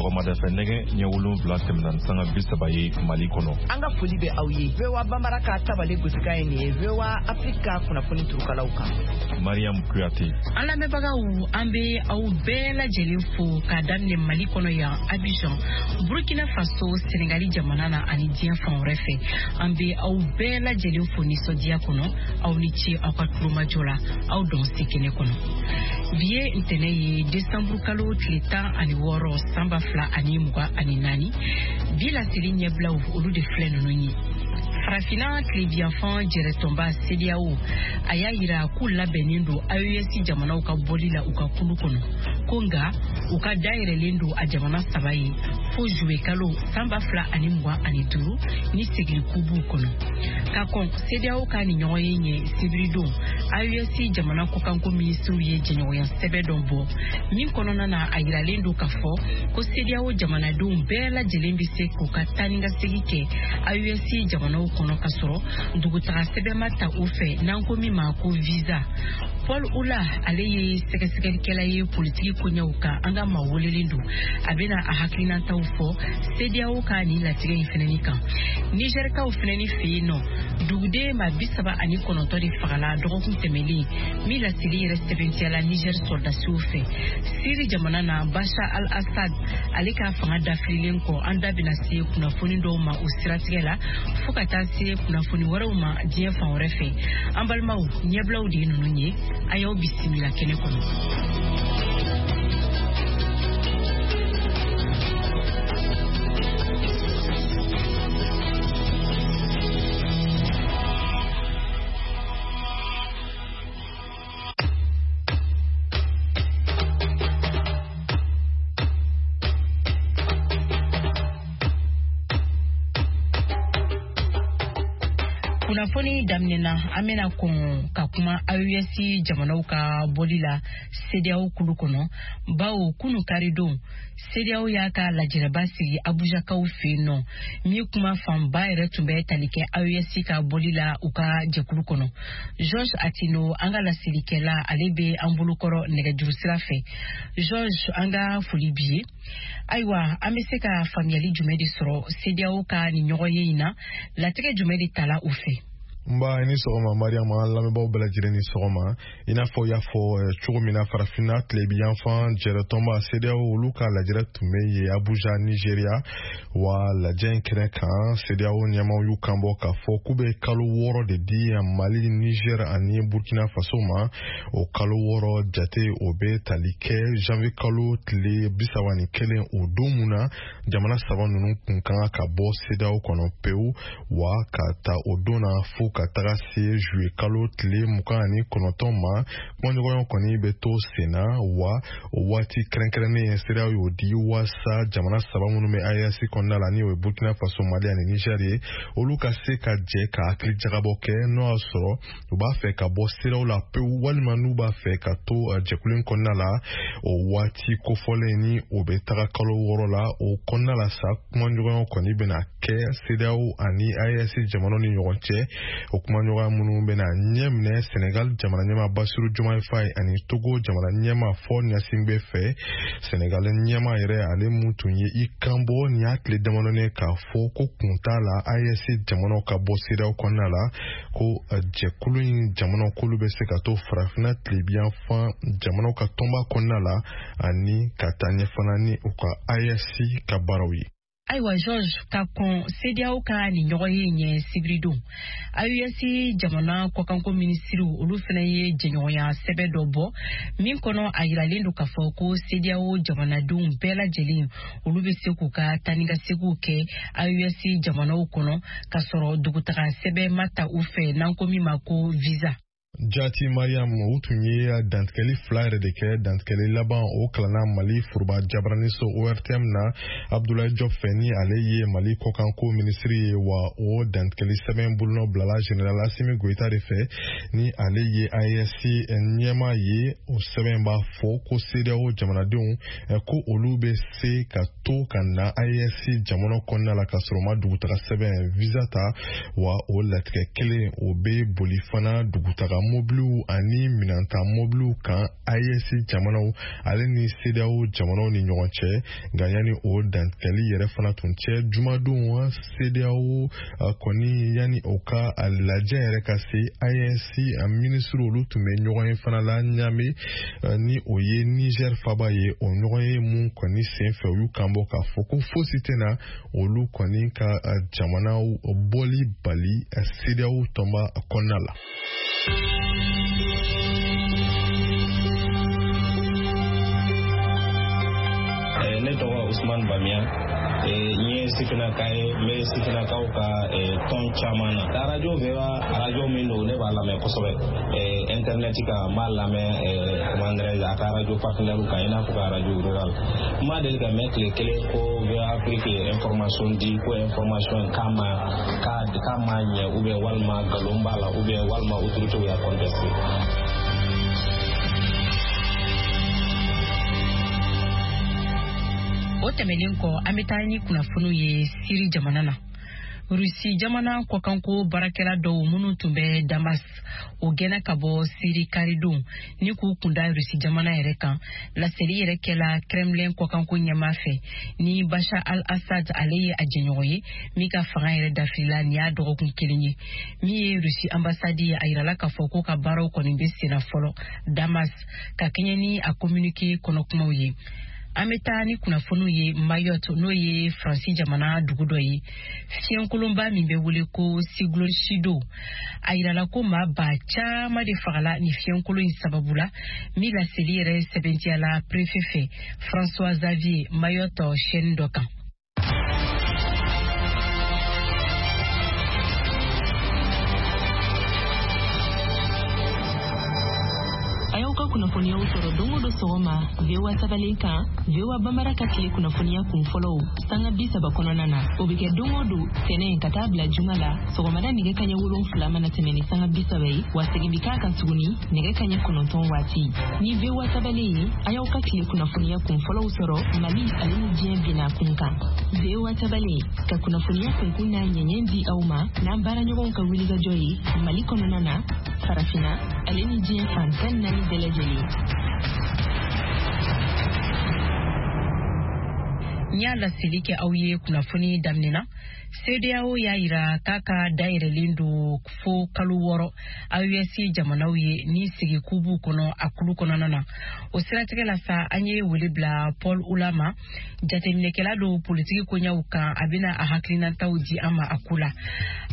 Sɔgɔmada fɛ nɛgɛ ɲɛ 7 tɛmɛna ni sanga 30 ye Mali kɔnɔ. An ka foli bɛ aw ye. VOA Bambara ka tabale gosikan ye nin ye VOA Afrique ka kunnafoni turukalaw kan. Mariam Kuyate. An lamɛnbagaw, an bɛ aw bɛɛ lajɛlen fo k'a daminɛ Mali kɔnɔ yan Abidjan, Burkina Faso, Senegali jamana na ani diɲɛ fan wɛrɛ fɛ. An bɛ aw bɛɛ lajɛlen fo nisɔndiya kɔnɔ. Aw ni ce aw ka tulomajɔ la, aw dɔn se kɛnɛ kɔnɔ. Bi ye ntɛnɛn ye, desanburu kalo tile 16 san 2024. Bi laseli ɲɛbilaw olu de filɛ ninnu ye. Farafinna tilebiyanfan jɛrɛtɔnba CEDEAO a y'a yira k'u labɛnnen don AES jamanaw ka bɔli la u ka kulu kɔnɔ, ko nka u ka dayɛlɛlen don a jamana saba ye fo juwe kalo san 2025 ni segiliku b'u kɔnɔ. Ka kɔn CEDEAO ka nin ɲɔgɔnye ɲɛ sibiridon, AES jamana kɔkanko minisiriw ye jɛɲɔgɔnya sɛbɛn dɔ bɔ min kɔnɔna na a yiralen don k'a fɔ ko CEDEAO jamanadenw bɛɛ lajɛlen bɛ se k'u ka taa ni ka segin kɛ AES jamanaw kɔnɔ ka sɔrɔ dugutaga sɛbɛn ma ta u fɛ n'an ko min ma ko visa. Paul Oula, ale ye sɛgɛsɛgɛlikɛla ye politiki koɲɛw kan, an ka maa welelen don, a bɛna a hakilinataw fɔ CEDEAO ka nin latigɛ in fɛnɛni kan. Nizɛrikaw fɛnɛni fɛ yen nɔ, duguden maa 39 de fagala dɔgɔkun tɛmɛlen min laseli yɛrɛ sɛbɛntiyala Nizɛri sɔrɔdasiw fɛ. Siri jamana na, Bashar al-Assad ale ka fanga dafirilen kɔ, an da bɛna se kunnafoni dɔw ma o siratigɛ la fo ka taa se kunnafoni wɛrɛw ma diɲɛ fan wɛrɛ fɛ. An balimaw, ɲɛbilaw de ye ninnu ye, a y'aw bisimila kɛnɛ kɔnɔ. Kunnafoni daminɛna, an bɛna kɔn ka kuma AES jamanaw ka bɔli la CEDEAO kulu kɔnɔ, bawo kunu karidon CEDEAO y'a ka lajɛrɛba sigi Abujakaw fɛ yen nɔ, min kuma fanba yɛrɛ tun bɛ tali kɛ AES ka bɔli la u ka jɛkulu kɔnɔ. George Atino, an ka laselikɛla, ale bɛ an bolokɔrɔ nɛgɛjuru sira fɛ. George, an ka foli b'i ye. Ayiwa, an bɛ se ka faamuyali jumɛn de sɔrɔ CEDEAO ka nin ɲɔgɔnye in na? Latigɛ jumɛn de tala u fɛ? Nba, i ni sɔgɔma Mariam, an lamɛnbaaw bɛɛ lajɛlen ni sɔgɔma. I n'a fɔ i y'a fɔ cogo min na, farafinna tilebiyanfan jɛrɛtɔnba CEDEAO olu ka lajɛrɛ tun bɛ yen Abuja, Nigeria. Wa lajɛ in kɛnɛ kan, CEDEAO ɲɛmaaw y'u kanbɔ k'a fɔ k'u bɛ kalo 6 de di Mali, Niger ani Burkina Faso ma. O kalo 6 jate o bɛ tali kɛ janvier kalo tile 31, o don mun na jamana saba ninnu kun ka kan ka bɔ CEDEAO kɔnɔ pewu. Wa ka ta o don na fo ka taga se juillet kalo tile 29 ma, kumaɲɔgɔnya kɔni bɛ to sen na. Wa o waati kɛrɛnkɛrɛnnen CEDEAO y'o di waasa jamana saba minnu bɛ AES kɔnɔna la, ni o ye Burkina Faso, Mali ani Niger ye, olu ka se ka jɛ ka hakili jagabɔ kɛ n'o y'a sɔrɔ u b'a fɛ ka bɔ CEDEAO la pewu walima n'u b'a fɛ ka to jɛkulu in kɔnɔna la. O waati kofɔlen ni o bɛ taga kalo 6 la, o kɔnɔna la sa kumaɲɔgɔnya kɔni bɛna kɛ CEDEAO ani AES jamanaw ni ɲɔgɔn cɛ. O kumaɲɔgɔnya minnu bɛna ɲɛ minɛ Senegal jamana ɲɛmaa Bassirou Diomaye Faye ani Togo jamana ɲɛmaa Faure Gnassingbé fɛ. Senegal ɲɛmaa yɛrɛ, ale mun tun ye i kanbɔ nin y'a tile damadɔnin k'a fɔ ko kun t'a la AES jamanaw ka bɔ CEDEAO kɔnɔna la, ko jɛkulu in jamanaw k'olu bɛ se ka to farafinna tilebiyanfan jamanaw ka tɔnba kɔnɔna la ani ka taa ɲɛ fana ni u ka AES ka baaraw ye. Ayiwa George, ka kɔn CEDEAO ka nin ɲɔgɔnye ɲɛ sibiridon, AES jamana kɔkanko minisiriw olu fana ye jɛɲɔgɔnya sɛbɛn dɔ bɔ min kɔnɔ a yiralen don k'a fɔ ko CEDEAO jamanadenw bɛɛ lajɛlen olu bɛ se k'u ka taa ni ka seginw kɛ AES jamanaw kɔnɔ k'a sɔrɔ dugutaga sɛbɛn ma ta u fɛ n'an ko min ma ko visa. Jati Mariam, u tun ye dantigɛli fila yɛrɛ de kɛ. Dantigɛli laban o kalanna Mali foroba jabaraniso ORTM na Abdoulaye Diop fɛ, ni ale ye Mali kɔkanko minisiri ye. Wa o dantigɛli sɛbɛn bolonɔ bilala général Assimi Goïta de fɛ, ni ale ye AES ɲɛmaa ye. O sɛbɛn b'a fɔ ko CEDEAO jamanadenw ko olu bɛ se ka to ka na AES jamana kɔnɔna la ka sɔrɔ ma dugutaga sɛbɛn visa ta. Wa o latigɛ kelen o bɛ boli fana dugutaga mobiliw ani minɛnta mobiliw kan AES jamanaw ale ni CEDEAO jamanaw ni ɲɔgɔn cɛ. Nka yanni o dantigɛli yɛrɛ fana tun cɛ, jumadon CEDEAO kɔni yanni o ka lajɛ yɛrɛ ka se, AES minisiriw olu tun bɛ ɲɔgɔn ye fana la Ɲame, ni o ye Niger faba ye. O ɲɔgɔn ye mun kɔni senfɛ, u y'u kan bɔ k'a fɔ ko fosi tɛna olu kɔni ka jamanaw bɔli bali CEDEAO tɔnba kɔnɔna la. Ne tɔgɔ Usman Bamiya, n ye sifinnaka ye, n bɛ sifinnakaw ka tɔn caman na. Arajo VOA, arajo min don, ne b'a lamɛn kosɛbɛ internet kan, n b'a lamɛn, comment dirais-je, a ka arajo partenaire kan, i n'a fɔ ka arajo rural. N ma deli ka mɛn tile kelen ko VOA Afrique ye information di, ko information k'a ma k'a ma ɲɛ, ou bien walima nkalon b'a la, ou bien walima autorité y'a contesté. O tɛmɛnen kɔ, an bɛ taa ni kunnafoniw ye Siri jamana na. Rusi jamana kɔkanko baarakɛla dɔw minnu tun bɛ Damas, o gɛnna ka bɔ Siri karidon ni k'u kunda Rusi jamana yɛrɛ kan. Laseli yɛrɛ kɛla Kremlin kɔkanko ɲɛmaa fɛ ni Bashar al-Assad ale ye a jɛɲɔgɔn ye min ka fanga yɛrɛ dafirila nin y'a dɔgɔkun kelen ye. Min ye Rusi ambassade ye, a yirala k'a fɔ ko ka baaraw kɔni bɛ senna fɔlɔ Damas, ka kɛɲɛ ni a communiqué kɔnɔkumaw ye. An bɛ taa ni kunnafoniw ye Mayotte, n'o ye Faransi jamana dugu dɔ ye. Fiɲɛkolonba min bɛ wele ko Cyclone Chido, a yirala ko maa ba caman de fagala ni fiɲɛkolon in sababu la, min laseli yɛrɛ sɛbɛntiyala préfet fɛ François Xavier Mayotte chaîne dɔ kan. A y'aw ka kunnafoniyaw sɔrɔ don o don sɔgɔma VOA tabalen kan, VOA Bambara ka tile kunnafoniya kun fɔlɔw sanga 30 kɔnɔna na. O bɛ kɛ don o don tɛnɛn ka taa bila juma la, sɔgɔmada nɛgɛ kaɲɛ 7 mana tɛmɛ ni sanga 30 ye, wa segin bɛ k'a kan tuguni nɛgɛ kaɲɛ 9 waati. Ni VOA tabalen ye, a y'aw ka tile kunnafoniya kun fɔlɔw sɔrɔ Mali ale ni diɲɛ bina kun kan. VOA tabalen ka kunnafoniya kunkun n'a ɲɛɲɛ di aw ma n'an baaraɲɔgɔnw ka wulikajɔ ye Mali kɔnɔna na, Farafinna ale ni diɲɛ fan 14 bɛɛ lajɛlen. N y'a laseli kɛ aw ye kunnafoni daminɛ na, CEDEAO y'a yira k'a ka dayɛlɛlen don fo kalo 6 AES jamanaw ye ni sigi k'u kɔnɔ a kulu kɔnɔna na. O siratigɛ la sa, an ye wele bila Paul Oula ma, jateminɛkɛla don politiki koɲɛw kan. A bɛna a hakilinataw di an ma a ko la.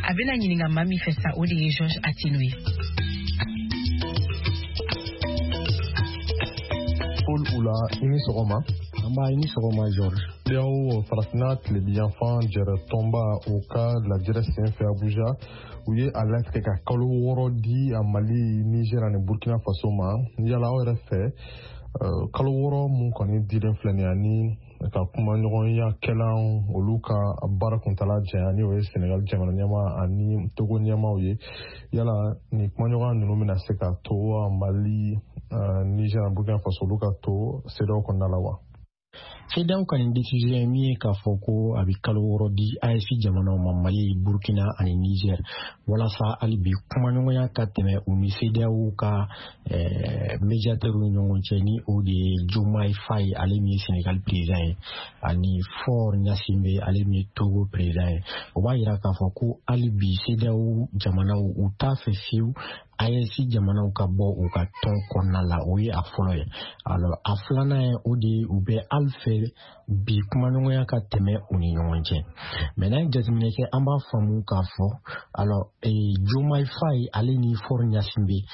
A bɛna ɲininka maa min fɛ sa, o de ye Georges Attino ye. Paul Oula, i ni sɔgɔma. An b'a, i ni sɔgɔma Georges. CEDEAO farafinna tilebiyanfan jɛrɛ tɔnba, o ka lajɛrɛ senfɛ Abuja, u ye a latigɛ ka kalo 6 di a Mali, Niger ani Burkina Faso ma. Yala aw yɛrɛ fɛ, kalo 6 mun kɔni dilen filɛ nin ye, ani ka kumaɲɔgɔnya kɛlan olu ka baara kuntala janya, ni o ye Senegal jamana ɲɛmaa ani Togo ɲɛmaaw ye, yala nin kumaɲɔgɔnya ninnu bɛna se ka to Mali, Niger ani Burkina Faso olu ka to CEDEAO kɔnɔna la wa? CEDEAO ka nin décision ye min ye k'a fɔ ko a bɛ kalo 6 di AES jamanaw ma, Mali, Burkina ani Niger, walasa hali bi kumaɲɔgɔnya ka tɛmɛ u ni CEDEAO ka médiateur ni ɲɔgɔn cɛ, ni o de ye Diomaye Faye, ale min ye Sénégal président ye, ani Faure Gnassingbé, ale min ye Togo président ye. O b'a yira k'a fɔ ko hali bi CEDEAO jamanaw u t'a fɛ fiyewu AES jamanaw ka bɔ u ka tɔn kɔnɔna la. O ye a fɔlɔ ye. Alors a filanan ye o de ye, u bɛ hali fɛ bi kumaɲɔgɔnya ka tɛmɛ u ni ɲɔgɔn cɛ. Mais n'an ye jateminɛ kɛ, an b'a faamu k'a fɔ alors Diomaye Faye ale ni Faure Gnassingbé,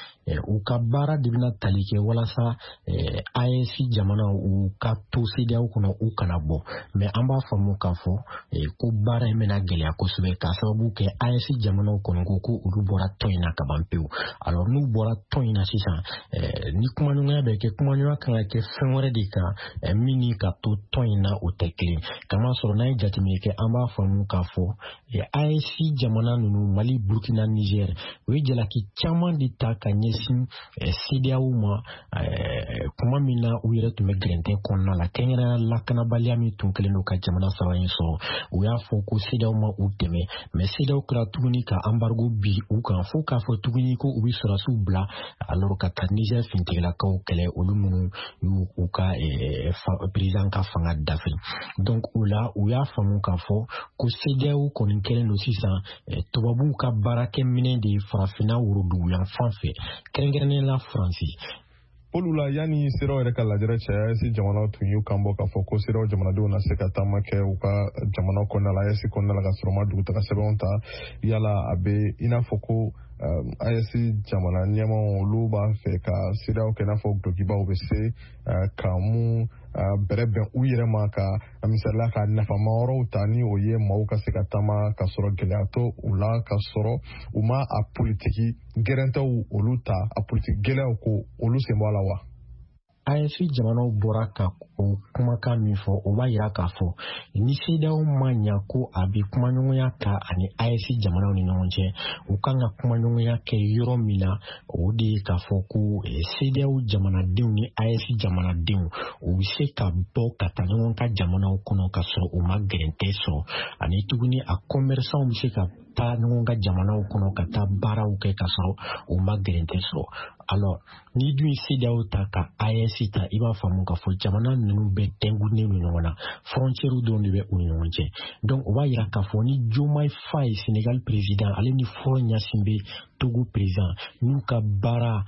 u ka baara de bɛna tali kɛ walasa AES jamanaw u ka to CEDEAO kɔnɔ, u kana bɔ. Mais an b'a faamu k'a fɔ ko baara in bɛna gɛlɛya kosɛbɛ, k'a sababu kɛ AES jamanaw kɔni ko ko olu bɔra tɔn in na ka ban pewu. Alors n'u bɔra tɔn in na sisan, ni kumaɲɔgɔnya bɛ kɛ, kumaɲɔgɔnya kan ka kɛ fɛn wɛrɛ de kan min ni ka to tɔn in. na o tɛ kelen. Kamasɔrɔ n'an ye jateminɛ kɛ, an b'a faamu k'a fɔ AES jamana ninnu, Mali, Burkina, Niger, u ye jalaki caman de ta ka ɲɛsin CEDEAO ma kuma min na u yɛrɛ tun bɛ gɛrɛntɛ kɔnɔna la, kɛrɛnkɛrɛnnenya lakanabaliya min tun kɛlen don ka jamana saba in sɔrɔ. U y'a fɔ ko CEDEAO ma u dɛmɛ, mais CEDEAO kɛra tuguni ka embargo bi u kan, fo k'a fɔ tuguni ko u bɛ sɔrɔdasiw bila alors ka taa Niger finitigilakaw kɛlɛ, olu minnu y'u u ka président ka fanga dafe. Donc o la, u y'a faamu k'a fɔ ko CEDEAO kɔni kɛlen don sisan tubabuw ka baarakɛminɛ de ye farafinna woroduguyanfan fɛ, kɛrɛnkɛrɛnnenya la Faransi. Olu la, yanni CEDEAO yɛrɛ ka lajɛrɛ cɛ, AES jamanaw tun y'u kan bɔ k'a fɔ ko CEDEAO jamanadenw na se ka taama kɛ u ka jamana kɔnɔna la, AES kɔnɔna la, ka sɔrɔ ma dugutaga sɛbɛnw ta. Yala a bɛ i n'a fɔ ko AES jamana ɲɛmaw, olu b'a fɛ ka CEDEAO kɛ i n'a fɔ dulokibaw bɛ se ka mun bɛrɛ bɛn u yɛrɛ ma, ka misalila ka nafama wɛrɛw ta, ni o ye maaw ka se ka taama ka sɔrɔ gɛlɛya to u la, ka sɔrɔ u ma a politiki gɛrɛntɛw olu ta, a politiki gɛlɛyaw ko olu sen bɔ a la wa? AES jamanaw bɔra ka o kumakan min fɔ, o b'a yira k'a fɔ ni CEDEAO ma ɲa ko a bɛ kumaɲɔgɔnya ta ani AES jamanaw ni ɲɔgɔn cɛ, u kan ka kumaɲɔgɔnya kɛ yɔrɔ min na, o de ye k'a fɔ ko CEDEAO jamanadenw ni AES jamanadenw, u bɛ se ka bɔ ka taa ɲɔgɔn ka jamanaw kɔnɔ ka sɔrɔ u ma gɛrɛntɛ sɔrɔ, ani tuguni a commerçants bɛ se ka taa ɲɔgɔn ka jamanaw kɔnɔ ka taa baaraw kɛ ka sɔrɔ u ma gɛrɛntɛ sɔrɔ. Alors n'i dun ye CEDEAO ta ka AES ta, i b'a faamu k'a fɔ jamana ninnu bɛɛ tɛnkunnen don ɲɔgɔn na, frontière dɔrɔn de bɛ u ni ɲɔgɔn cɛ. Donc o b'a yira k'a fɔ ni Diomaye Faye, Sénégal président, ale ni Faure Gnassingbé, Togo président, n'u ka baara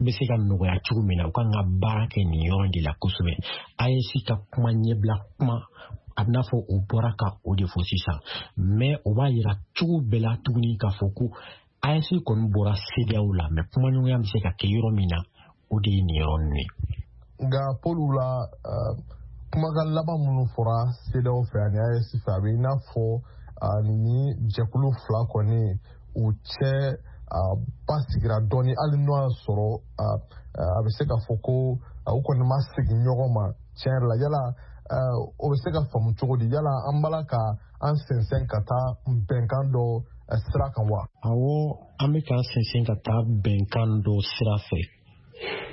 bɛ se ka nɔgɔya cogo min na, u kan ka baara kɛ nin yɔrɔ de la kosɛbɛ. AES ka kuma ɲɛbila kuma, a bɛna fɔ o bɔra ka o de fɔ sisan, mais o b'a yira cogo bɛɛ la tuguni k'a fɔ ko AES kɔni bɔra CEDEAO la, mais kumaɲɔgɔnya bɛ se ka kɛ yɔrɔ min na, o de ye nin yɔrɔ ninnu ye. Nka Paul la, kumakan laban minnu fɔra CEDEAO fɛ ani AES fɛ, a bɛ i n'a fɔ ni jɛkulu fila kɔni u cɛ basigira dɔɔni, hali n'o y'a sɔrɔ a bɛ se ka fɔ ko u kɔni ma segin ɲɔgɔn ma tiɲɛ yɛrɛ la. Yala o bɛ se ka faamu cogo di? Yala an b'a la ka an sɛnsɛn ka taa bɛnkan dɔ sira kan wa? Awɔ, an bɛ k'an sɛnsɛn ka taa bɛnkan dɔ sira fɛ.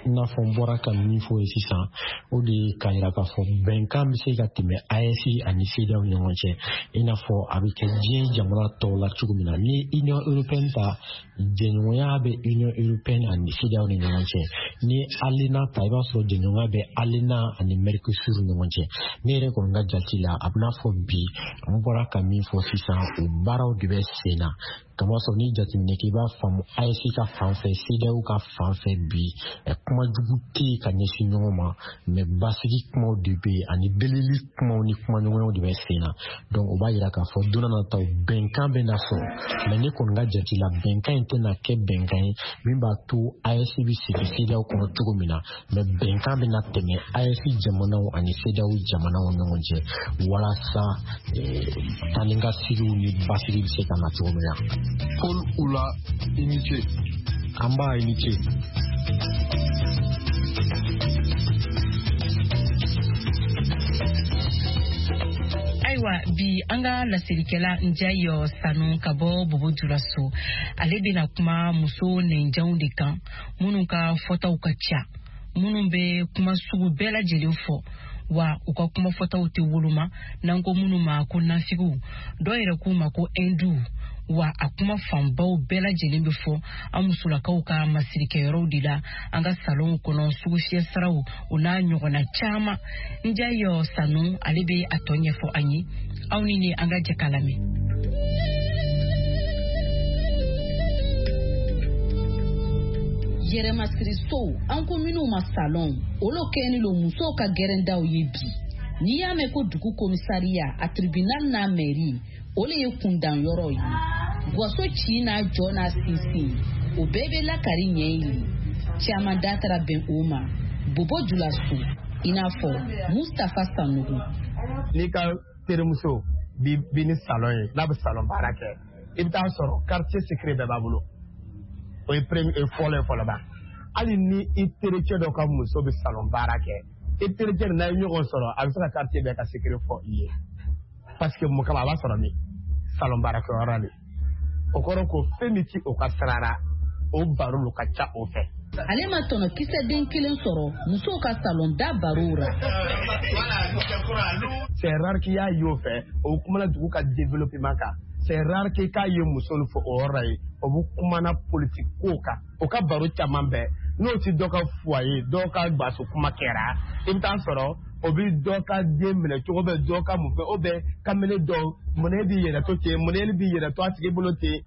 I n'a fɔ n bɔra ka min fɔ ye sisan, o de ye k'a yira k'a fɔ bɛnkan bɛ se ka tɛmɛ AES ani CEDEAO ni ɲɔgɔn cɛ, i n'a fɔ a bɛ kɛ diɲɛ jamana tɔw la cogo min na. Ni ye Union européenne ta, jɛɲɔgɔnya bɛ Union européenne ani CEDEAO ni ɲɔgɔn cɛ. Ni ye ALENA ta, i b'a sɔrɔ jɛɲɔgɔnya bɛ ALENA ani Mercosur ni ɲɔgɔn cɛ. Ne yɛrɛ kɔni ka jate la, a bɛna fɔ bi n bɔra ka min fɔ sisan, o baaraw de bɛ sen na, kamasɔrɔ ni jateminɛ kɛ, i b'a faamu AES ka fan fɛ, CEDEAO ka fan fɛ, bi kuma jugu tɛ yen ka ɲɛsin ɲɔgɔn ma, mais basigi kumaw de bɛ yen ani delili kumaw ni kumaɲɔgɔnyaw de bɛ sen na. Donc o b'a yira k'a fɔ don n'a nataw bɛnkan bɛ na sɔrɔ, mais ne kɔni ka jate la, bɛnkan in tɛna kɛ bɛnkan ye min b'a to AES bɛ segin CEDEAO kɔnɔ cogo min na, mais bɛnkan bɛ na tɛmɛ AES jamanaw ani CEDEAO jamanaw ɲɔgɔn cɛ, walasa taa ni ka seginw ni basigi bɛ se ka na cogo min na. Paul Oula, i ni ce. An b'a, i ni ce. Ayiwa, bi an ka laselikɛla Njayi Sanu ka bɔ Bobo Julaso, ale bɛna kuma muso nɛnjanw de kan, minnu ka fɔtaw ka ca, minnu bɛ kuma sugu bɛɛ lajɛlen fɔ, wa u ka kuma fɔtaw tɛ woloma, n'an ko minnu ma ko nafigiw, dɔw yɛrɛ k'u ma ko hinduw. Wa a kuma fanbaw bɛɛ lajɛlen bɛ fɔ an musolakaw ka masirikɛyɔrɔw de la, an ka salonw kɔnɔ, sugufiyɛ siraw, o n'a ɲɔgɔnna caman. Njayi Sanu, ale bɛ a tɔ ɲɛfɔ an ye. Aw ni ne, an ka jɛ k'a lamɛn. Yɛrɛmasirisow, an ko minnu ma salon, olu kɛni lo musow ka gɛrɛndaw ye bi. N'i y'a mɛn ko dugu komisariya, a tribunal n'a mairie, o le ye kundan yɔrɔ ye. Gwaso ci n'a jɔ n'a sinsin, o bɛɛ bɛ lakari ɲɛ ye. Caman da taara bɛn o ma Bobo Julaso, i n'a fɔ Mustafa Sanogo. N'i ka terimuso bi bi ni salon ye, n'a bɛ salon baara kɛ, i bɛ taa sɔrɔ quartier secret bɛɛ b'a bolo. O ye premier fɔlɔ ye fɔlɔ ba. Hali ni i terikɛ dɔ ka muso bɛ salon baara kɛ. I terikɛ n'a ye ɲɔgɔn sɔrɔ, a bɛ se ka quartier bɛɛ ka secret fɔ i ye. Parce que mun kama a b'a sɔrɔ min salon baarakɛyɔrɔ de. O kɔrɔ ko fɛn min ti o ka sira la, o baro lo ka ca o fɛ. Ale ma tɔnɔ kisɛ den kelen sɔrɔ musow ka salon da barow ra. C'est rare k'i y'a ye o fɛ, o kumana dugu ka développement kan. C'est rare k'i k'a ye muso fɔ o yɔrɔ ye, o bɛ kumana politique ko kan. O ka baro caman bɛɛ n'o ti dɔ ka foyer, dɔ ka baso kuma kɛra, i bɛ taa sɔrɔ o bɛ dɔ ka den minɛ cogo bɛ dɔ ka mun fɛ, o bɛ kamalen dɔw mun b'i yɛrɛ to ten, mun b'i yɛrɛ to a tigi bolo ten.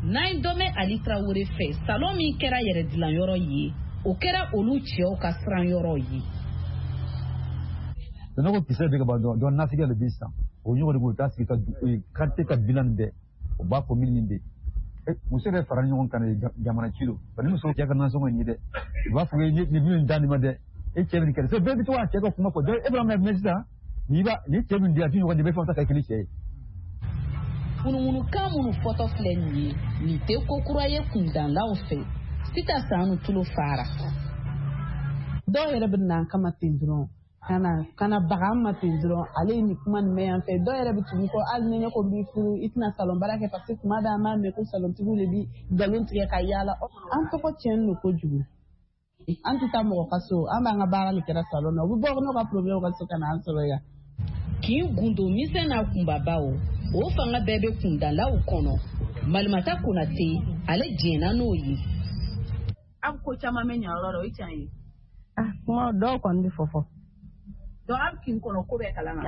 N'an dɔ bɛ Ali Tarawele fɛ, salon min kɛra yɛrɛdilanyɔrɔ ye, o kɛra olu cɛw ka siranyɔrɔ ye. Ne ko kisɛ bɛ ka ban dɔrɔn, nafigiya de bɛ sisan. O ɲɔgɔn de b'o taa sigi ka quartier ka bilan bɛɛ, o b'a fɔ min bɛ yen. Muso yɛrɛ fara ɲɔgɔn kan jamana ci don. Ni muso cɛ ka nasɔngɔ ɲini dɛ, u b'a fɔ nin min da nin ma dɛ, e cɛ bɛ nin kɛ. Bɛɛ bɛ to k'a cɛ ka kuma fɔ. E b'a mɛn sisan, ni cɛ min di a ti ɲɔgɔn di, bɛɛ fɛn ta ka kɛ ni cɛ ye. Munumunukan minnu fɔtɔ filɛ nin ye, nin tɛ ko kura ye kundanlaw fɛ. Sita Sanu tulo fara. Dɔw yɛrɛ bɛ na an kama ten dɔrɔn, kana baga an ma ten dɔrɔn, ale ye nin kuma nin mɛn yan fɛ. Dɔw yɛrɛ bɛ tugu kɔ, hali ni ne ko n b'i furu, i tɛna salon baara kɛ, parce que tuma dɔ an b'a mɛn ko salontigiw de bi nkalon tigɛ ka yaala. An tɔgɔ tiɲɛni don kojugu. An tɛ taa mɔgɔ ka so, an b'an ka baara de kɛra salon na. U bɛ bɔ n'u ka problème ka so ka na an sɔrɔ yan. K'i gundo misɛn n'a kunbabaw, o fanga bɛɛ bɛ kundalaw kɔnɔ. Malimata Konate, ale jɛnna n'o ye. Aw ko caman bɛ ɲa yɔrɔ la, o ye tiɲɛ ye. Kuma dɔw kɔni bɛ fɔ. Donc aw kin kɔnɔ ko bɛɛ kalama.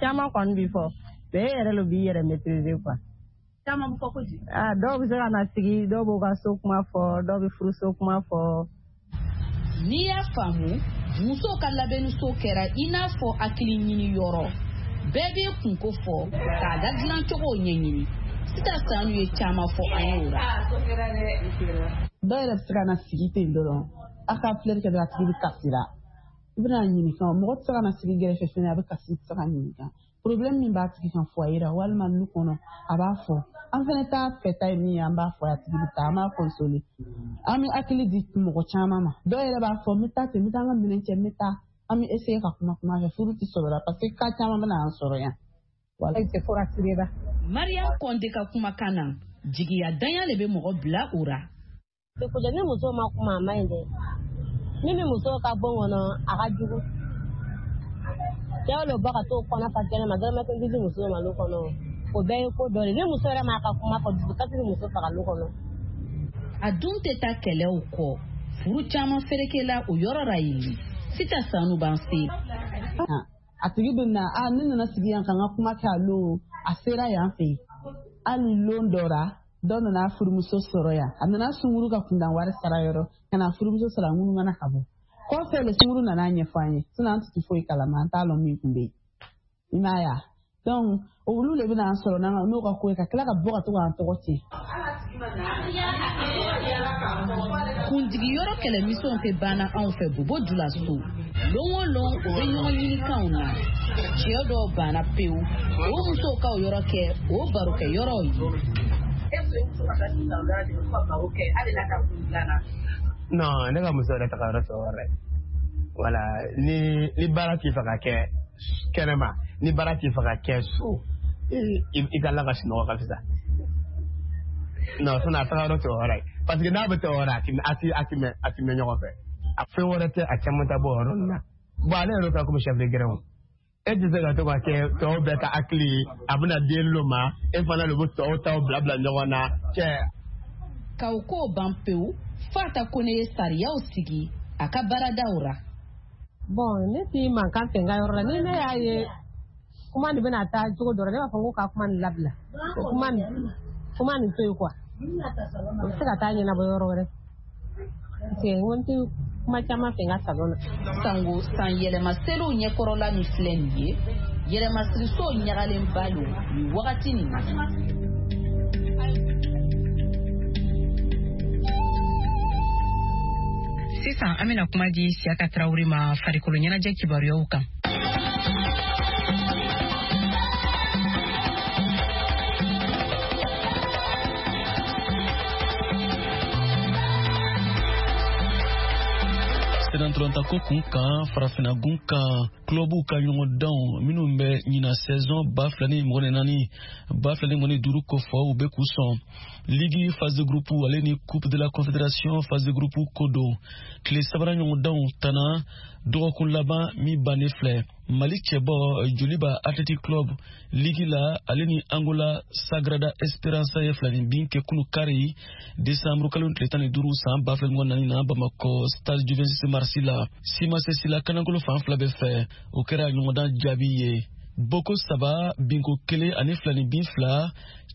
Caman kɔni bɛ fɔ, mais e yɛrɛ de b'i yɛrɛ maîtriser quoi. Caman bɛ fɔ ko di? Dɔw bɛ se ka na sigi, dɔw b'u ka so kuma fɔ, dɔw bɛ furuso kuma fɔ. N'i y'a faamu, musow ka labɛnniso kɛra i n'a fɔ hakili ɲini yɔrɔ. Bɛɛ b'i kunko fɔ k'a da dilancogo ɲɛɲini. Sita Sanu ye caman fɔ an y'o la. Dɔw yɛrɛ bɛ se ka na sigi ten dɔrɔn, a ka filɛli kɛ dɔrɔn, a tigi bɛ kasi la. I bɛna ɲininka, mɔgɔ tɛ se ka na sigi gɛrɛfɛ fɛnɛ, a bɛ kasi, tɛ se ka ɲininka. Problème min b'a tigi kan foyer la walima nu kɔnɔ, a b'a fɔ. An fɛnɛ t'a fɛta ye min ye, an b'a fɔ a tigi bɛ taa, an b'a consoler. An bɛ hakili di mɔgɔ caman ma. Dɔw yɛrɛ b'a fɔ n bɛ taa ten, n bɛ taa n ka minɛn cɛ, n bɛ taa. An bɛ essayer ka kuma fɛ, furu tɛ sɔrɔ la parce que cas caman bɛ na an sɔrɔ yan. Mariam Kɔnde ka kumakan na, jigiya danya de bɛ mɔgɔ bila o ra. Ni muso ma kuma a ma ɲi dɛ. Ni min muso ka bon kɔnɔ, a ka jugu. Cɛw le bɔ ka t'o kɔnɔ fa kɛnɛ ma, dɔrɔmɛ kelen di muso ma lu kɔnɔ. O bɛɛ ye ko dɔ de. Ni muso yɛrɛ m'a ka kuma fɔ, dusukasi bɛ muso faga lu kɔnɔ. A dun tɛ taa kɛlɛw kɔ. Furu caman ferekela o yɔrɔ ra yen. Sita Sanu b'an se. A tigi bɛ na, ne nana sigi yan ka n ka kuma kɛ a lon, a sera yan fɛ yen. Hali lon dɔ la, dɔ nana furumuso sɔrɔ yan. A nana sunkuru ka kundan wari sara yɔrɔ, ka na furumuso sɔrɔ a ŋunumana ka bɔ. Kɔfɛ le sunkuru nana ɲɛfɔ an ye, sinon an tɛ foyi kalama, an t'a lɔn min tun bɛ yen. I m'a ye wa? Donc olu de bɛna an sɔrɔ n'o ka ko ye, ka tila ka bɔ ka to k'an tɔgɔ tiɲɛ. Kundigiyɔrɔ kɛlɛmisɛnw tɛ banna anw fɛ Bobo Dioulasso. Lon o lon, u bɛ ɲɔgɔn ɲinikanw na. Cɛ dɔw banna pewu, o musow ka o yɔrɔ kɛ o barokɛyɔrɔw ye. Non, ne ka muso yɛrɛ taga yɔrɔ sɔrɔ yɛrɛ. Voilà, ni baara t'i fɛ ka kɛ kɛnɛma, ni baara t'i fɛ ka kɛ so, i ka la ka sunɔgɔ ka fisa. Non, sinon a taga yɔrɔ tɛ o yɔrɔ ye. Parce que n'a bɛ taa o yɔrɔ, a ti mɛn ɲɔgɔn fɛ. A fɛn wɛrɛ tɛ, a caman ta bɔ o yɔrɔ ninnu na. Bon, ale yɛrɛ ka komi chef de grin. E tɛ se ka to ka kɛ tɔw bɛɛ ka hakili ye, a bɛna den lo ma, e fana de bɛ tɔw taw bila ɲɔgɔn na. Cɛ. K'aw ko ban pewu, Fata Kone ye sariyaw sigi a ka baaradaw ra. Bon, ne ti mankan fɛ n ka yɔrɔ la. Ni ne y'a ye kuma nin bɛna taa cogo dɔ la, ne b'a fɔ ko ka kuma nin labila. Kuma nin to yen quoi. O bɛ se ka taa ɲɛnabɔ yɔrɔ wɛrɛ. Parce que n ko n tɛ kuma caman fɛ n ka salon na. Sango san yɛlɛma seliw ɲɛkɔrɔla min filɛ nin ye, yɛlɛmasiriso ɲagalenba don nin wagati nin na. Sisan an bɛna kuma di Siyaka Tarawele ma farikolo ɲɛnajɛ kibaruyaw kan. Sennantolatan ko kun kan farafinagun kan, clubw ka ɲɔgɔndanw minnu bɛ ɲina saison 2024 2025 kofɔ, u bɛ k'u sɔn. Ligue phase de groupe ale ni Coupe de la Confédération phase de groupe ko don. Tile sabanan ɲɔgɔndanw tana dɔgɔkun laban min bannen filɛ, Mali cɛbɔ Joliba Athletic Club ligi la, ale ni Angola Sagrada Esperança ye filani bin kɛ kunu kari desanburu kalo tile 15 san 2024 na Bamakɔ Stade du 26 mars la. Simase la kanakolo fan fila bɛɛ fɛ, o kɛra ɲɔgɔndan jaabi ye. Boko 3 binko 1 ani filani bin 2,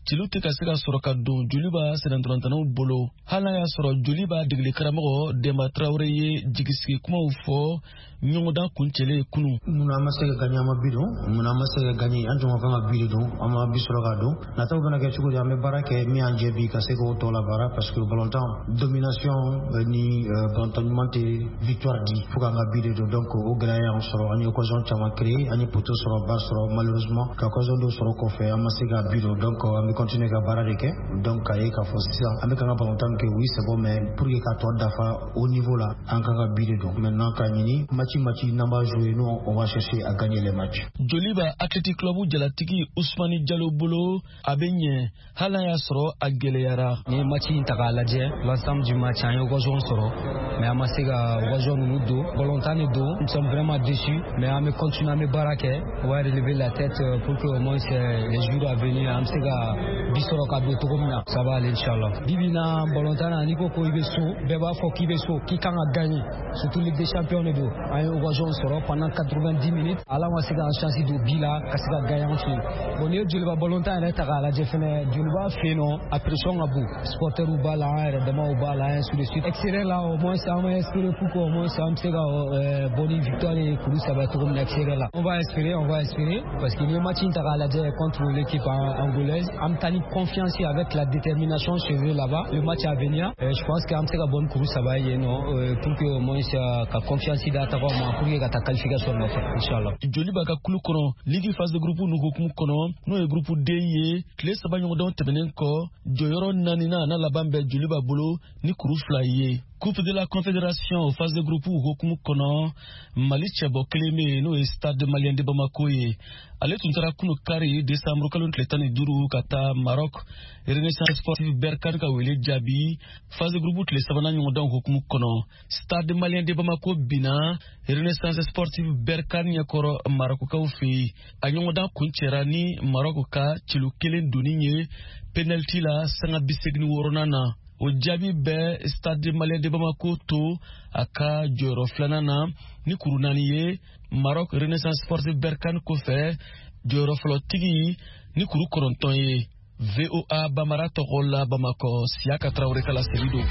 celu tɛ ka se ka sɔrɔ ka don Joliba sennantolatannaw bolo. Hali n'a y'a sɔrɔ Joliba degeli karamɔgɔ Demba Traoré ye jigisigi kumaw fɔ ɲɔgɔndan kuncɛlen kunu. Munna an ma se ka gagner, an ma bi don? Munna an ma se ka gagner? An tun ka kan ka bi de don, an ma bi sɔrɔ ka don. Nataw bɛna kɛ cogo di? An bɛ baara kɛ min y'an jɛ bi ka se k'o tɔ labaara, parce que balontan domination ni balontan ɲuman tɛ victoire di, fo k'an ka bi de don. Donc o gɛlɛya y'an sɔrɔ, an ye occasion caman créer, an ye poteau sɔrɔ, ba sɔrɔ, malheureusement ka occasion dɔw sɔrɔ kɔfɛ, an ma se ka bi don. Donc an bɛ continuer ka baara de kɛ. Donc k'a ye k'a fɔ sisan an bɛ kan ka balontan min kɛ, oui c'est bon, mais pour que ka tɔ dafa au niveau la, an kan ka bi de don. Maintenant k'a ɲini match n'an b'a jouer, nous on va chercher à gagner les matchs. Joliba Athletic Club jalatigi Ousmane Diallo bolo, a bɛ ɲɛ hali n'a y'a sɔrɔ a gɛlɛyara. Ni ye match in ta k'a lajɛ, l'ensemble du match an ye occasion sɔrɔ, mais an ma se ka occasion ninnu don. Balontan de don, nous sommes vraiment déçus, mais an bɛ continuer, an bɛ baara kɛ, on va relever la tête pour que au moins les jours à venir an bɛ se ka bi sɔrɔ ka don cogo min na, ça va aller inchallah. Bi bi in na balontan na, n'i ko ko i bɛ so, bɛɛ b'a fɔ k'i bɛ so, k'i kan ka gagner, surtout Ligue des champions de don. An ye occasion sɔrɔ pendant 90 minutes, ala ma se k'an chance don bi la ka se ka gagner an fɛ yen. Bon, n'i ye Joliba balontan yɛrɛ ta k'a lajɛ fɛnɛ, Joliba fɛ yen nɔ, a pression ka bon, supporters b'a la, an yɛrɛ damaw b'a la, ainsi de suite. Extérieur la, au moins an bɛ espérer pour que au moins an bɛ se ka bɔ ni victoire ye kuru 3 cogo min na extérieur la. On va espérer, on va espérer, parce que n'i ye match in ta k'a lajɛ contre l'équipe angolaise, an bɛ taa ni confiance avec la détermination chez eux là-bas. Le match à venir, je pense qu'an bɛ se ka bɔ ni kuru 3 ye yen nɔ pour que au moins ka confiance d'a tagaw ma pour que ka taa qualification nɔfɛ inchallah. Joliba ka kulu kɔnɔ ligue phase de groupe nu hukumu kɔnɔ, n'o ye groupe D ye, tile 3 ɲɔgɔndanw tɛmɛnen kɔ, jɔyɔrɔ naaninan n'a laban bɛ Joliba bolo ni kuru 2 ye. Coupe de la Confédération phase de groupe hukumu kɔnɔ, Mali cɛbɔ kelen bɛ yen, n'o ye Stade Malien de Bamako ye. Ale tun taara kunu kari desanburu kalo tile 15 ka taa Maroc Renaissance Sportive Berkane ka wele jaabi phase de groupe tile sabanan ɲɔgɔndanw hukumu kɔnɔ. Stade Malien de Bamako binna Renaissance Sportive Berkane ɲɛkɔrɔ Marokukaw fɛ yen. A ɲɔgɔndan kuncɛra ni Maroc ka celu 1 donni ye penalty la sanga 86nan na. O jaabi bɛ Stade Malien de Bamako to a ka jɔyɔrɔ filanan na ni kuru 4 ye Maroc Renaissance Sportive Berkane kɔfɛ, jɔyɔrɔ fɔlɔtigi ni kuru 9 ye. VOA Bamara tɔgɔ la Bamakɔ, Siyaka Tarawele ka laseli don.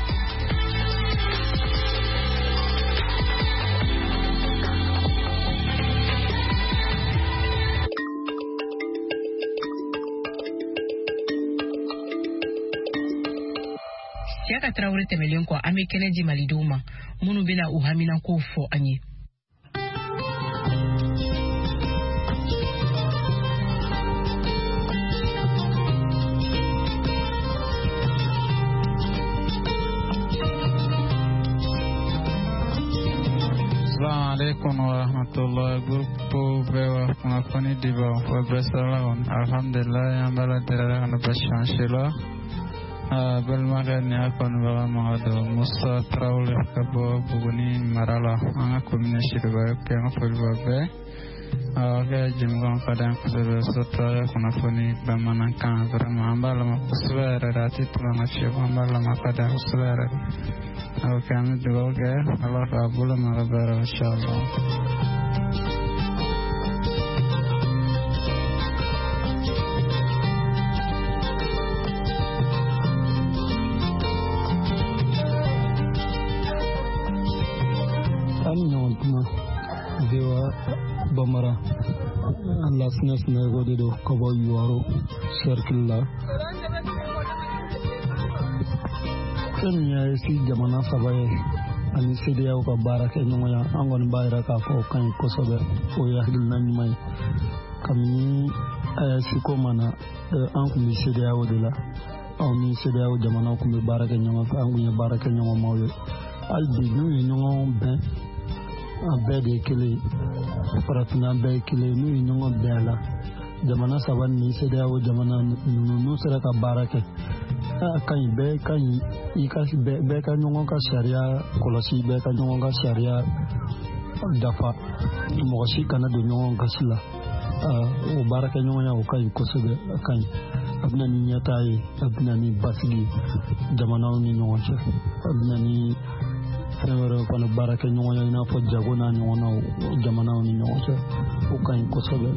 Siyaka Tarawele tɛmɛlen kɔ, an bɛ kɛnɛ di malidenw ma minnu bɛna u haminankow fɔ an ye. Alaikum wa rahmatullah. Groupe VOA kunnafoni dibaw wa bɛɛ sɔrɔla kɔni, alhamdulilayi, an b'a la deli Ala kana basi an si la. Balimakɛ ni a kanubaga maga don Musa Tarawele ka bɔ Buguni mara la, an ka commune Siriba kɛ, an ka foli b'a bɛɛ. A kɛ jɛmukan ka d'an kosɛbɛ, surtout a ka kunnafoni bamanankan, vraiment an b'a lamɛn kosɛbɛ yɛrɛ de, a tɛ tɛmɛ an ka fiyewu, an b'a lamɛn, a ka d'an kosɛbɛ yɛrɛ de. Ok, an bɛ dugawu kɛ Ala k'a bolo mara baara inchallah. An ɲɔgɔn kuma VOA Bamara, Lasinɛ Sinayoko de don ka bɔ Yuwaro cercle la. Fɛn min ye AES jamana 3 ye ani CEDEAO ka baara kɛ ɲɔgɔnya, an kɔni b'a yira k'a fɔ o ka ɲi kosɛbɛ, o ye hakilina ɲuman ye. Kabini AES ko ma na, an tun bɛ CEDEAO de la, anw ni CEDEAO jamanaw tun bɛ baara kɛ ɲɔgɔn fɛ, an tun ye baara kɛ ɲɔgɔnmaw ye. Hali bi n'u ye ɲɔgɔn bɛn An bɛɛ de ye kelen ye, farafinna bɛɛ ye kelen ye. N'u ye ɲɔgɔn bɛn a la, jamana saba ni CEDEAO jamana ninnu, n'u sera ka baara kɛ, a ka ɲi, bɛɛ ka ɲi. I ka bɛɛ ka ɲɔgɔn ka sariya kɔlɔsi, bɛɛ ka ɲɔgɔn ka sariya dafa, mɔgɔ si kana don ɲɔgɔn gasi la. O baarakɛɲɔgɔnya, o ka ɲi kosɛbɛ, a ka ɲi. A bɛna ni ɲɛtaa ye, a bɛna ni basigi jamanaw ni ɲɔgɔn cɛ, a bɛna ni fɛn wɛrɛw fana, baarakɛɲɔgɔnya i n'a fɔ jago n'a ɲɔgɔnnaw jamanaw ni ɲɔgɔn cɛ, o ka ɲi kosɛbɛ.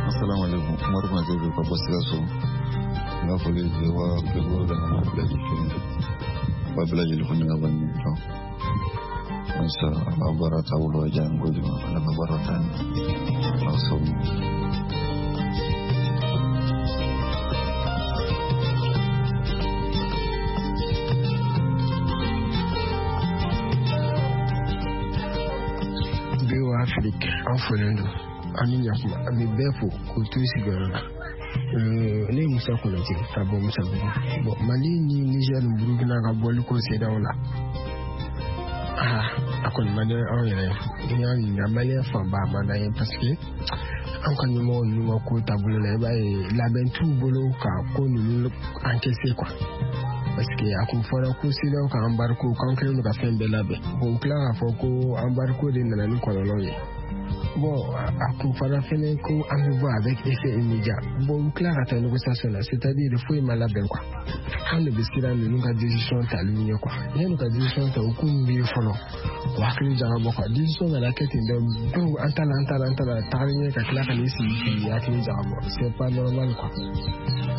Assalamu alaikum. Umaru Konate ka bɔ Sikaso. N ka foli bɛ wa kulubaliw la, ka bɛɛ lajɛlen ba bɛɛ lajɛlen fo ni ka bɔ nin fɛn. Halisa a ka baara taabolo ka diya n kojugu, Ala ka baara taa ɲɛ. Ala sago. VOA Afrique, an folen don, an ni ɲakuma, an bɛ bɛɛ fo k'u to sigiyɔrɔ la. Ne ye Musa Konate ka bɔ Musabugu. Bon, Mali ni Niger ni Burukina ka bɔli ko CEDEAO la, aa, a kɔni man di anw yɛrɛ ye. N'i y'a ɲininka, maliyɛn fanba, a man d'an ye, parce que an ka ɲɛmɔgɔ ninnu ka ko taabolo la, i b'a ye labɛn t'u bolo ka ko ninnu encaisser quoi. Parce que a kun fɔra ko CEDEAO ka embargo, k'an kɛlen don ka fɛn bɛɛ labɛn. Bon, u tila k'a fɔ ko embargo de nana ni kɔlɔlɔ ye. Bon, a kun fɔra fɛnɛ ko an bɛ bɔ avec effet immédiat. Bon, u tila ka taa négociation na, c'est-à-dire foyi ma labɛn quoi. An de bɛ siran ninnu ka décision tali ɲɛ quoi. Yanni ka décision ta, u k'u miiri fɔlɔ, u hakili jagabɔ quoi. Décision nana kɛ ten dɔrɔn, donc an ta la, an ta la, an ta la, tagalen ɲɛ ka tila ka n'i sigi k'i hakili jagabɔ, c'est pas normal quoi.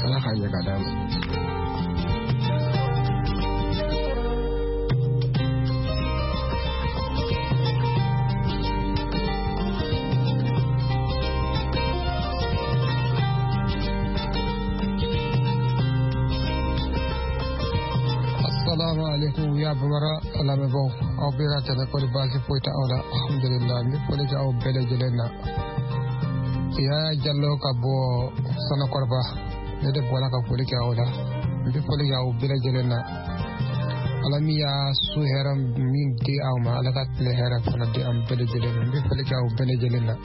Ala k'a ɲɛ ka d'an ma. Assalamu alaikum, VOA Bambara lamɛnbaaw, aw bɛ ka tɛmɛ, kɔni baasi foyi tɛ aw la? Alhamdulillah, n bɛ foli kɛ aw bɛɛ lajɛlen na. Yaya Jallo ka bɔ Sanakɔrɔba, ne de bɔra ka foli kɛ aw la. N bɛ foli kɛ aw bɛɛ lajɛlen na. Ala min y'a su hɛrɛ min di aw ma, Ala ka tile hɛrɛ fana di an bɛɛ lajɛlen ma. N bɛ foli kɛ aw bɛɛ lajɛlen na.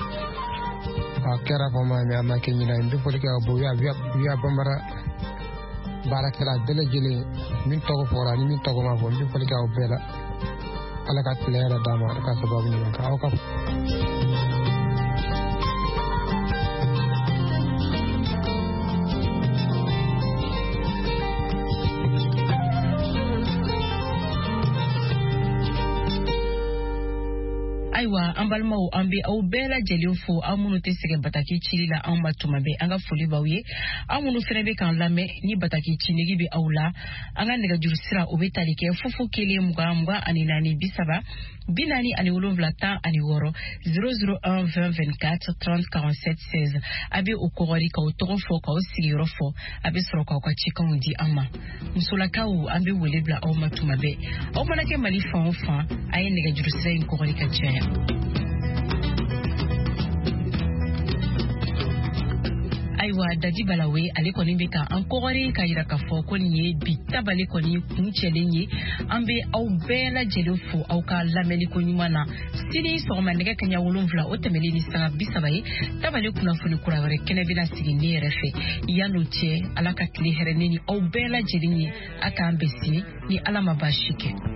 A kɛra fama mais a ma kɛ ɲinan ye. N bɛ foli kɛ aw bɛɛ, VOA Bambara baarakɛla bɛɛ lajɛlen, min tɔgɔ fɔra ni min tɔgɔ ma fɔ, n bɛ foli kɛ aw bɛɛ la. Ala ka tile hɛrɛ d'an ma, Ala ka sababu ɲuman kɛ aw ka. Ayiwa, an balimaw, an bɛ aw bɛɛ lajɛlen fo, aw minnu tɛ sɛgɛn bataki cili la anw ma tuma bɛɛ, an ka foli b'aw ye. Aw minnu fana bɛ k'an lamɛn ni bataki ci nege bɛ aw la, an ka nɛgɛjuru sira, o bɛ tali kɛ 0 0 20 24 30 47 16, 001 20 24 30 47 16. A bɛ o kɔgɔri k'aw tɔgɔ fɔ, k'aw sigiyɔrɔ fɔ, a bɛ sɔrɔ k'aw ka cikanw di an ma. Musolakaw, an bɛ wele bila aw ma tuma bɛɛ. Aw mana kɛ Mali fan o fan, a ye nɛgɛjuru sira in kɔgɔri ka caya. Ayiwa, Dadi Balawe, ale kɔni bɛ ka an kɔgɔri ka yira k'a fɔ ko nin ye bi tabale kɔni kuncɛlen ye. An bɛ aw bɛɛ lajɛlen fo aw ka lamɛnni ko ɲuman na. Sini sɔgɔma nɛgɛ kaɲa 7, o tɛmɛlen ni sanga 30 ye, tabale kunnafoni kura wɛrɛ kɛnɛ bɛna sigi ne yɛrɛ fɛ. Yan'o cɛ, Ala ka tile hɛrɛ ne ni aw bɛɛ lajɛlen ye. A k'an bɛn sini ni Ala ma baasi kɛ.